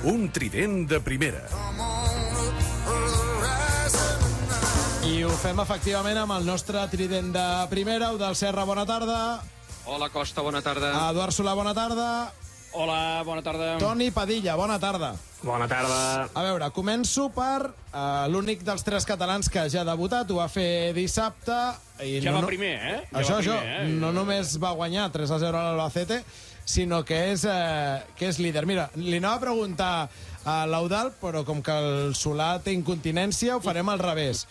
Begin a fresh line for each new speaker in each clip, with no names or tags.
Un trident de primera.
I ho fem efectivament amb el nostre trident de primera. Eudald Serra, bona tarda.
Hola, Costa, bona tarda.
Eduard Solà, bona tarda.
Hola, bona tarda.
Toni Padilla, bona tarda.
Bona tarda.
A veure, començo per l'únic dels tres catalans que ja ha debutat, ho va fer dissabte. I
Ja va primer, eh?
Això, no només va guanyar 3-0 a l'Albacete, sinó que és líder. Mira, li anava a preguntar a l'Eudald, però com que el Solà té incontinència, ho farem al revés.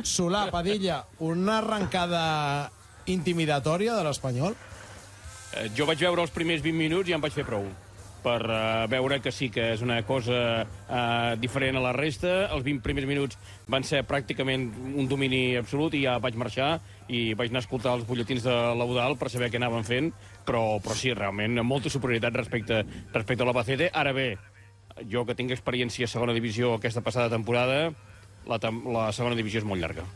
Solà, Padilla, una arrencada intimidatòria de l'Espanyol?
Jo vaig veure els primers 20 minuts i em vaig fer prou per veure que sí que és una cosa diferent a la resta. Els 20 primers minuts van ser pràcticament un domini absolut i ja vaig marxar i vaig anar a escoltar els butlletins de l'Eudald per saber què anaven fent, però sí, realment, molta superioritat respecte a l'Albacete. Ara bé, jo que tinc experiència a segona divisió aquesta passada temporada, la segona divisió és molt llarga.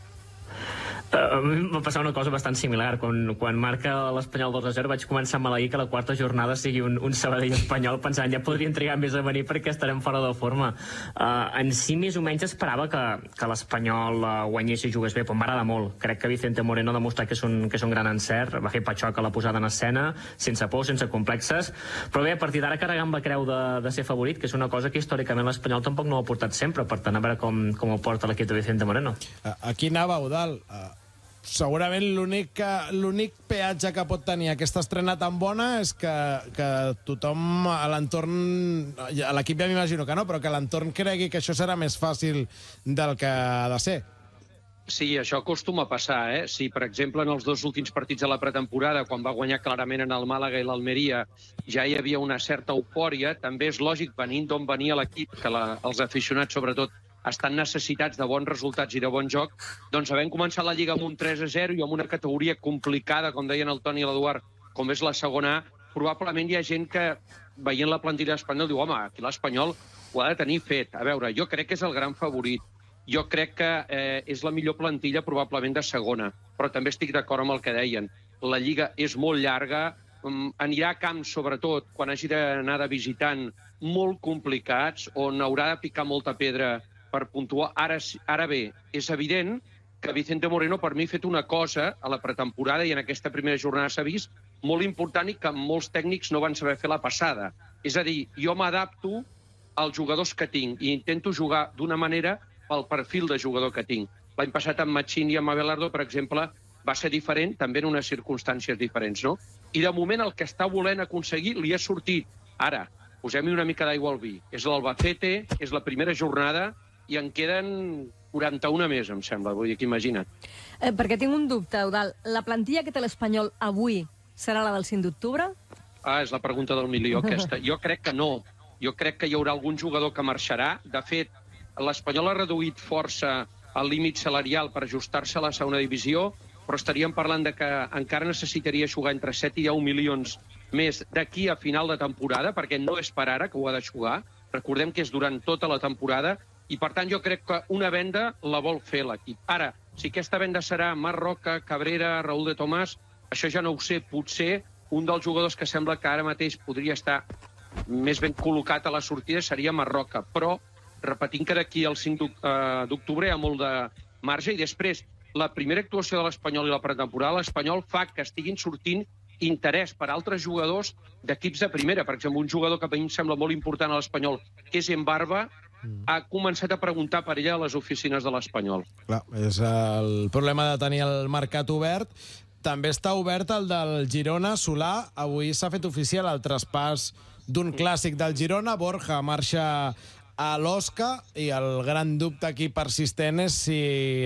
A mi va passar una cosa bastant similar. Quan marca l'Espanyol 2-0 vaig començar a maleir que la quarta jornada sigui un Sabadell Espanyol, pensant ja podrien trigar més a venir perquè estarem fora de forma. En si més o menys esperava que l'Espanyol guanyés i jugués bé, però m'agrada molt. Crec que Vicente Moreno ha demostrat que és un gran encert, va fer patxoc a la posada en escena, sense por, sense complexes, però bé, a partir d'ara carregant la creu de ser favorit, que és una cosa que històricament l'Espanyol tampoc no ho ha portat sempre, per tant a veure com ho porta l'equip de Vicente Moreno.
Aquí anava, Eudald. Segurament l'únic peatge que pot tenir aquesta estrena tan bona és que tothom a l'entorn, a l'equip ja m'imagino que no, però que l'entorn cregui que això serà més fàcil del que ha de ser.
Sí, això acostuma a passar, eh? Si, per exemple, en els dos últims partits de la pretemporada, quan va guanyar clarament en el Màlaga i l'Almeria, ja hi havia una certa eufòria, també és lògic, venint d'on venia l'equip, que els aficionats, sobretot, estan necessitats de bons resultats i de bon joc, doncs havent començat la Lliga amb un 3-0 i amb una categoria complicada, com deien el Toni i l'Eduard, com és la segona A, probablement hi ha gent que, veient la plantilla espanyola, diu, home, aquí l'Espanyol ho ha de tenir fet. A veure, jo crec que és el gran favorit. Jo crec que és la millor plantilla probablement de segona, però també estic d'acord amb el que deien. La Lliga és molt llarga, anirà a camps, sobretot, quan hagi d'anar de visitant, molt complicats, on haurà de picar molta pedra per puntuar. Ara bé, és evident que Vicente Moreno per mi ha fet una cosa a la pretemporada i en aquesta primera jornada s'ha vist molt important i que molts tècnics no van saber fer la passada. És a dir, jo m'adapto als jugadors que tinc i intento jugar d'una manera pel perfil de jugador que tinc. L'any passat amb Machín i amb Abelardo, per exemple, va ser diferent, també en unes circumstàncies diferents, no? I de moment el que està volent aconseguir li ha sortit. Ara, posem-hi una mica d'aigua al vi. És l'Albacete, és la primera jornada, i en queden 41 més, em sembla. Vull dir que imagina't.
Perquè tinc un dubte, Eudald. La plantilla que té l'Espanyol avui serà la del 5 d'octubre?
És la pregunta del milió, aquesta. Jo crec que no. Jo crec que hi haurà algun jugador que marxarà. De fet, l'Espanyol ha reduït força el límit salarial per ajustar-se a la segona divisió, però estaríem parlant de que encara necessitaria jugar entre 7 i 10 milions més d'aquí a final de temporada, perquè no és per ara que ho ha de jugar. Recordem que és durant tota la temporada, i per tant jo crec que una venda la vol fer l'equip. Ara, si aquesta venda serà Marc Roca, Cabrera, Raúl de Tomàs, això ja no ho sé. Potser un dels jugadors que sembla que ara mateix podria estar més ben col·locat a la sortida seria Marc Roca, però repetint que d'aquí al 5 d'octubre hi ha molt de marge, i després la primera actuació de l'Espanyol i la pretemporada, l'Espanyol fa que estiguin sortint interès per altres jugadors d'equips de primera. Per exemple, un jugador que a mi em sembla molt important a l'Espanyol, que és Embarba, ha començat a preguntar per ella a les oficines de l'Espanyol.
Clar, és el problema de tenir el mercat obert. També està obert el del Girona. Solà, avui s'ha fet oficial el traspàs d'un clàssic del Girona. Borja marxa a l'Osca i el gran dubte aquí persistent és si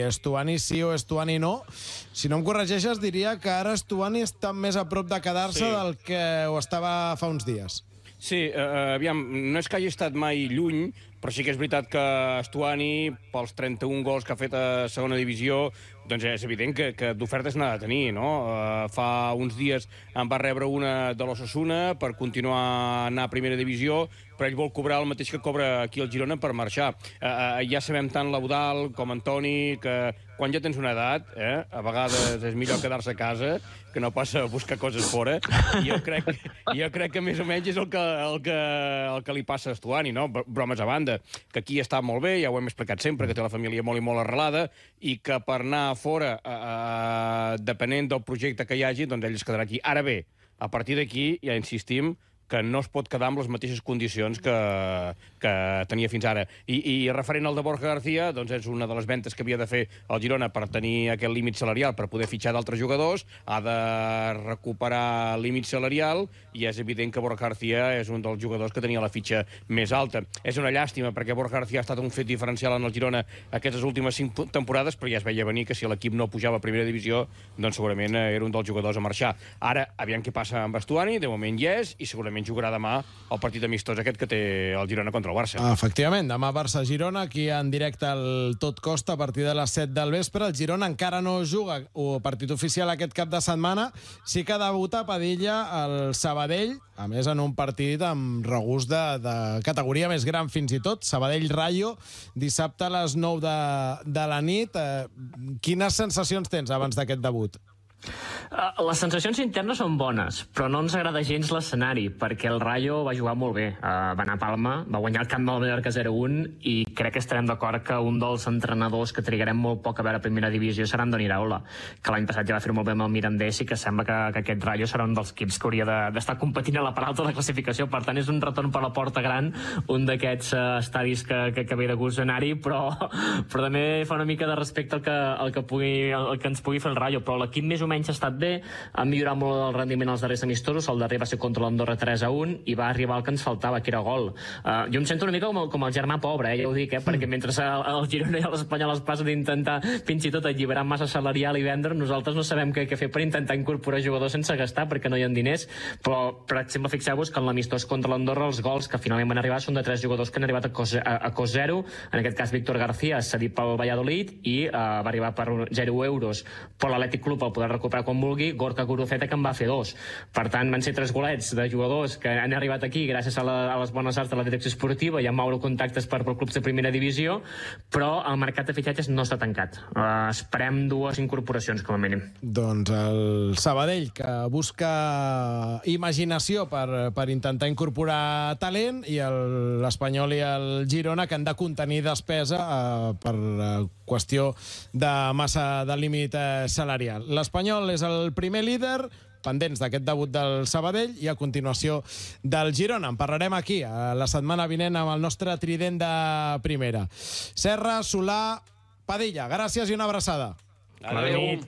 Estuani sí o Estuani no. Si no em corregeixes, diria que ara Estuani està més a prop de quedar-se del que ho estava fa uns dies.
Sí, aviam, no és que hagi estat mai lluny,
però sí que és veritat que Stuani, pels 31 gols que ha fet a segona divisió, doncs és evident que d'ofertes n'ha de tenir, no? Fa uns dies en va rebre una de l'Osasuna per continuar a anar a primera divisió, però ell vol cobrar el mateix que cobra aquí al Girona per marxar. Ja sabem tant l'Eudal com Antoni que quan ja tens una edat, a vegades és millor quedar-se a casa que no passa a buscar coses fora. I jo crec que més o menys és el que li passa a Stuani, no? Bromes a banda, que aquí està molt bé, ja ho hem explicat sempre, que té la família molt i molt arrelada, i que per anar fora, depenent del projecte que hi hagi, doncs ell es quedarà aquí. Ara bé, a partir d'aquí, ja insistim, que no es pot quedar amb les mateixes condicions que tenia fins ara. I referent al de Borja García, doncs és una de les ventes que havia de fer el Girona per tenir aquest límit salarial, per poder fitxar d'altres jugadors, ha de recuperar límit salarial, i és evident que Borja García és un dels jugadors que tenia la fitxa més alta. És una llàstima, perquè Borja García ha estat un fet diferencial en el Girona aquestes últimes 5 temporades, però ja es veia venir que si l'equip no pujava a primera divisió, doncs segurament era un dels jugadors a marxar. Ara, aviam què passa amb Stuani, de moment hi és, i segurament jugarà demà el partit amistós aquest que té el Girona contra el Barça.
Efectivament, demà Barça-Girona, aquí en directe al Tot Costa a partir de les 7 del vespre. El Girona encara no juga o partit oficial aquest cap de setmana. Sí que debuta Padilla al Sabadell, a més en un partit amb regust de categoria més gran fins i tot. Sabadell-Rayo, dissabte a les 9 de la nit. Quines sensacions tens abans d'aquest debut?
Les sensacions internes són bones, però no ens agrada gens l'escenari, perquè el Rayo va jugar molt bé. Va anar a Palma, va guanyar el camp del Mallorca 0-1, i crec que estarem d'acord que un dels entrenadors que trigarem molt poc a veure a primera divisió serà Andoni Iraola, que l'any passat ja va fer molt bé amb el Mirandés, i que sembla que aquest Rayo serà un dels equips que hauria d'estar competint a la part alta de la classificació. Per tant, és un retorn per la porta gran, un d'aquests estadis que ve de gust anar-hi, però també fa una mica de respecte al que ens pugui fer el Rayo. Però l'equip més o menys ha estat bé, ha millorat molt el rendiment als darrers amistosos. El darrer va ser contra l'Andorra 3-1 i va arribar el que ens faltava, que era gol. Jo em sento una mica com el germà pobre, ja ho dic, perquè mentre el Girona i l'Espanyol es passa d'intentar fins i tot alliberar massa salarial i vendre, nosaltres no sabem què fer per intentar incorporar jugadors sense gastar, perquè no hi ha diners. Però, per exemple, fixeu-vos que en l'amistós contra l'Andorra els gols que finalment van arribar són de 3 jugadors que han arribat a cost zero. En aquest cas, Víctor García cedit pel Valladolid i va arribar per 0 euros, però l'Atlètic Club el podrà recuperar quan vulgui. Gorka Guruceta, que en va fer 2. Per tant, van ser 3 golets de jugadors que han arribat aquí gràcies a les bones arts de la direcció esportiva i a moure contactes per clubs de primera divisió, però el mercat de fitxatges no està tancat. Esperem 2 incorporacions, com a mínim.
Doncs el Sabadell, que busca imaginació per intentar incorporar talent, i l'Espanyol i el Girona, que han de contenir despesa per qüestió de massa de límit salarial. L'Espanyol és el primer líder, pendents d'aquest debut del Sabadell, i a continuació del Girona. En parlarem aquí la setmana vinent amb el nostre trident de primera. Serra, Solà, Padilla, gràcies i una abraçada.
Adéu.